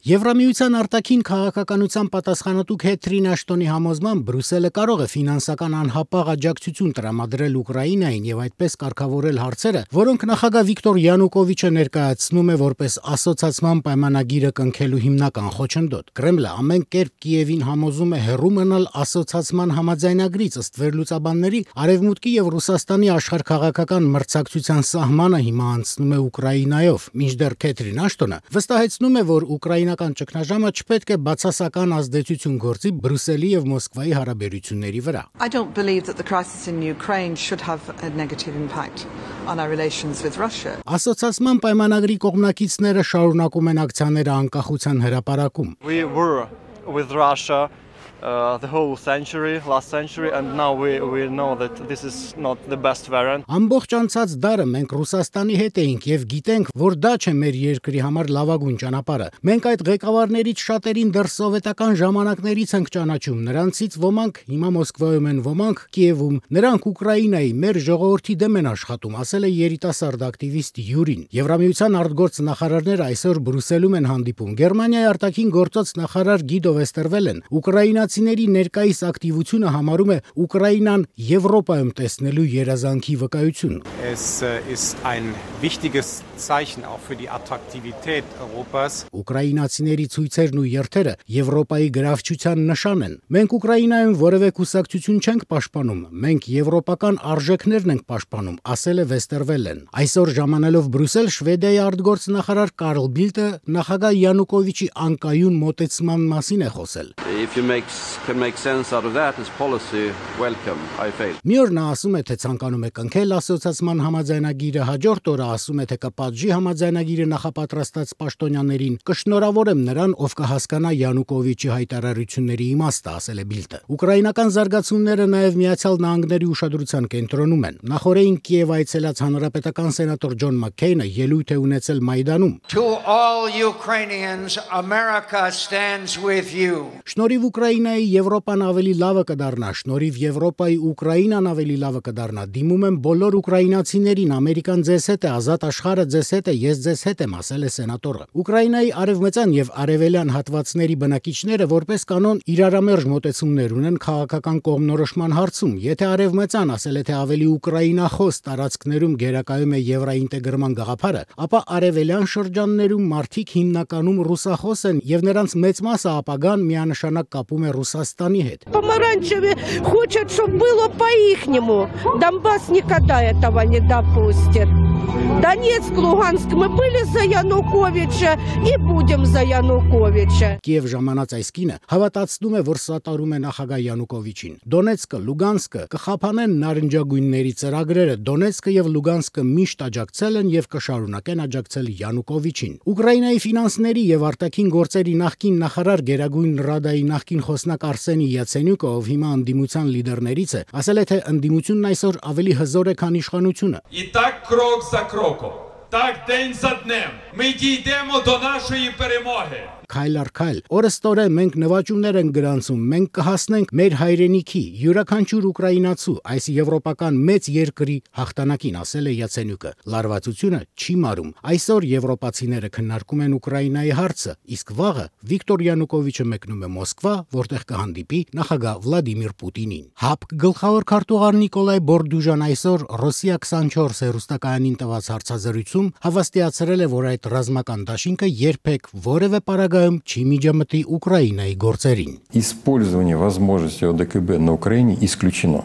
Եվրամիության արտաքին քաղաքականության պատասխանատու Քեթրին Աշտոնի համոզմամբ Բրյուսելը կարող է ֆինանսական անհապաղ աջակցություն տրամադրել Ուկրաինային եւ այդպես կարգավորել հարցերը, որոնք նախագահ Վիկտոր Յանուկովիչը ներկայացնում է որպես ասոցիացիան պայմանագիրը կնքելու հիմնական խոչընդոտ։ Կրեմլը ամեն կերպ Կիևին համոզում է հեռու մնալ ասոցիացիան համաձայնագրից, ըստ վերլուծաբանների, Արևմուտքի եւ Ռուսաստանի աշխարհքաղաքական մրցակցության սահմանը հիմա անցնում է Ուկրաինայով, մինչդեռ Քեթրին Աշտոնը վստահեցնում է, որ ուկրաինական ճգնաժամը չպետք է բացասական ազդեցություն գործի Բրյուսելի եւ Մոսկվայի հարաբերությունների վրա։ I don't believe that the crisis in Ukraine should have a negative impact on our relations with Russia. Ասոցիացիան պայմանագրի կողմնակիցները շարունակում են ակցիաները անկախության հրապարակում։ We were with Russia the whole last century, and now we know that this is not the best variant. Ամբողջ անցած դարը մենք Ռուսաստանի հետ էինք եւ գիտենք, որ դա չէ մեր երկրի համար լավագույն ճանապարհը։ Մենք այդ ղեկավարներից շատերին դեռ սովետական ժամանակներից ենք ճանաչում, նրանցից ոմանք հիմա Մոսկվայում են, ոմանք Կիևում, նրանք Ուկրաինայի մեր ժողովրդի դեմ են աշխատում, ասել է երիտասարդ ակտիվիստ Յուրին։ Եվրամիության արտգործ նախարարները այսօր Բրյուսելում են հանդիպում։ Գերմանիայի արտաքին գործոց նախարար Գիդո Վեստերվելեն Ուկրաինացիների ներկայիս ակտիվությունը համարում է Ուկրաինան Եվրոպայում տեսնելու երազանքի վկայություն։ Es ist ein wichtiges Zeichen auch für die Attraktivität Europas. Ուկրաինացիների ցույցերն ու երթերը Եվրոպայի գրավչության նշան են։ Մենք Ուկրաինայում որևէ կուսակցություն չենք պաշտպանում, մենք եվրոպական արժեքներն ենք պաշտպանում, ասել է Վեստերվելեն։ Այսօր ժամանելով Բրյուսել, Շվեդիայի արտգործնախարար Կարլ Բիլտը նախագահ Յանուկովիչի անկայուն մոտեցման մասին է խոսել։ If you can make sense out of that as policy, welcome, I fail. Մի օր նա ասում է, թե ցանկանում է կնքել ասոցիացիան համաձայնագիրը, հաջորդ օրը ասում է, թե կպատժի համաձայնագիրը նախապատրաստած պաշտոնյաներին, կշնորհավորեմ նրան, ով կհասկանա Յանուկովիչի հայտարարությունների իմաստը, ասել է Բիլտը։ Ուկրաինական զարգացումները նաև Միացյալ Նահանգների ուշադրության կենտրոնում են։ Նախորդին Կիև այցելած հանրապետական սենատոր Ջոն Մաքքեյնը ելույթ է ունեցել Մայդանում։ To all Ukrainians, America stands with you. Շնորհիվ Ուկրաինայի Եվրոպան ավելի լավը կդառնա, շնորհիվ Եվրոպայի Ուկրաինան ավելի լավը կդառնա։ Դիմում եմ բոլոր ուկրաինացիներին, Ամերիկան ձեզ հետ է, ազատ աշխարհը ձեզ հետ է, ես ձեզ հետ եմ, ասել է սենատորը։ Ուկրաինայի արևմտյան եւ արևելյան հատվածների բնակիչները որպես կանոն իրարամերժ մոտեցումներ ունեն քաղաքական կողմնորոշման հարցում։ Եթե արևմտյան ասել է, թե ավելի ուկրաինախոս տարածքներում գերակայում է եվրաինտեգրման գաղափարը, ապա արևելյան շրջաններում մարդիկ հիմնականում ռուսախոս են եւ նրանց մեծ մասը ապագան միանշանակ կապում է Ռուսաստանի հետ։ Помаранчевые хотят, чтобы было по-ихнему. Донбасс никогда этого не допустит. Донецк, Луганск, мы были за Януковича и будем за Януковича. Կիև ժամանած այս կինը հավատացնում է, որ սատարում է նախագահ Յանուկովիչին։ Դոնեցկը, Լուգանսկը կխափանեն նարնջագույնների ծրագրերը։ Դոնեցկը եւ Լուգանսկը միշտ աջակցել են եւ կշարունակեն աջակցել Յանուկովիչին։ Ուկրաինայի ֆինանսների եւ արտաքին գործերի նախկին նախարար Գերագույն Ռադայի նախկին խոսնակ Արսենի Յացենյուկը, ով հիմա ընդդիմության լիդերներից է, ասել է, թե ընդդիմությունն այսօր ավելի հզոր է, քան իշխանությունը։ І так крок за кроком, так день за днем ми дійдемо до нашої перемоги. Քայլ առ քայլ, օրստորե մենք նվաճումներ ենք գրանցում, մենք կհասնենք մեր հայրենիքի, յուրաքանչյուր ուկրաինացու, այս եվրոպական մեծ երկրի հաղթանակին, ասել է Յացենյուկը։ Լարվածությունը չի մարում։ Այսօր եվրոպացիները քննարկում են Ուկրաինայի հարցը, իսկ վաղը Վիկտոր Յանուկովիչը մեկնում է Մոսկվա, որտեղ կհանդիպի նախագահ Վլադիմիր Պուտինին։ ՀԱՊԿ գլխավոր քարտուղար Նիկոլայ Բորդուժան այսօր Ռոսիա 24 հեռուստակայանին տված հարցազրույցում հավաստիացրել է, որ այդ ռազմական դաշինքը երբեք որևէ պարագայում չի միջամտի Ուկրաինայի գործերին։ Использование возможностей ОДКБ на Украине исключено.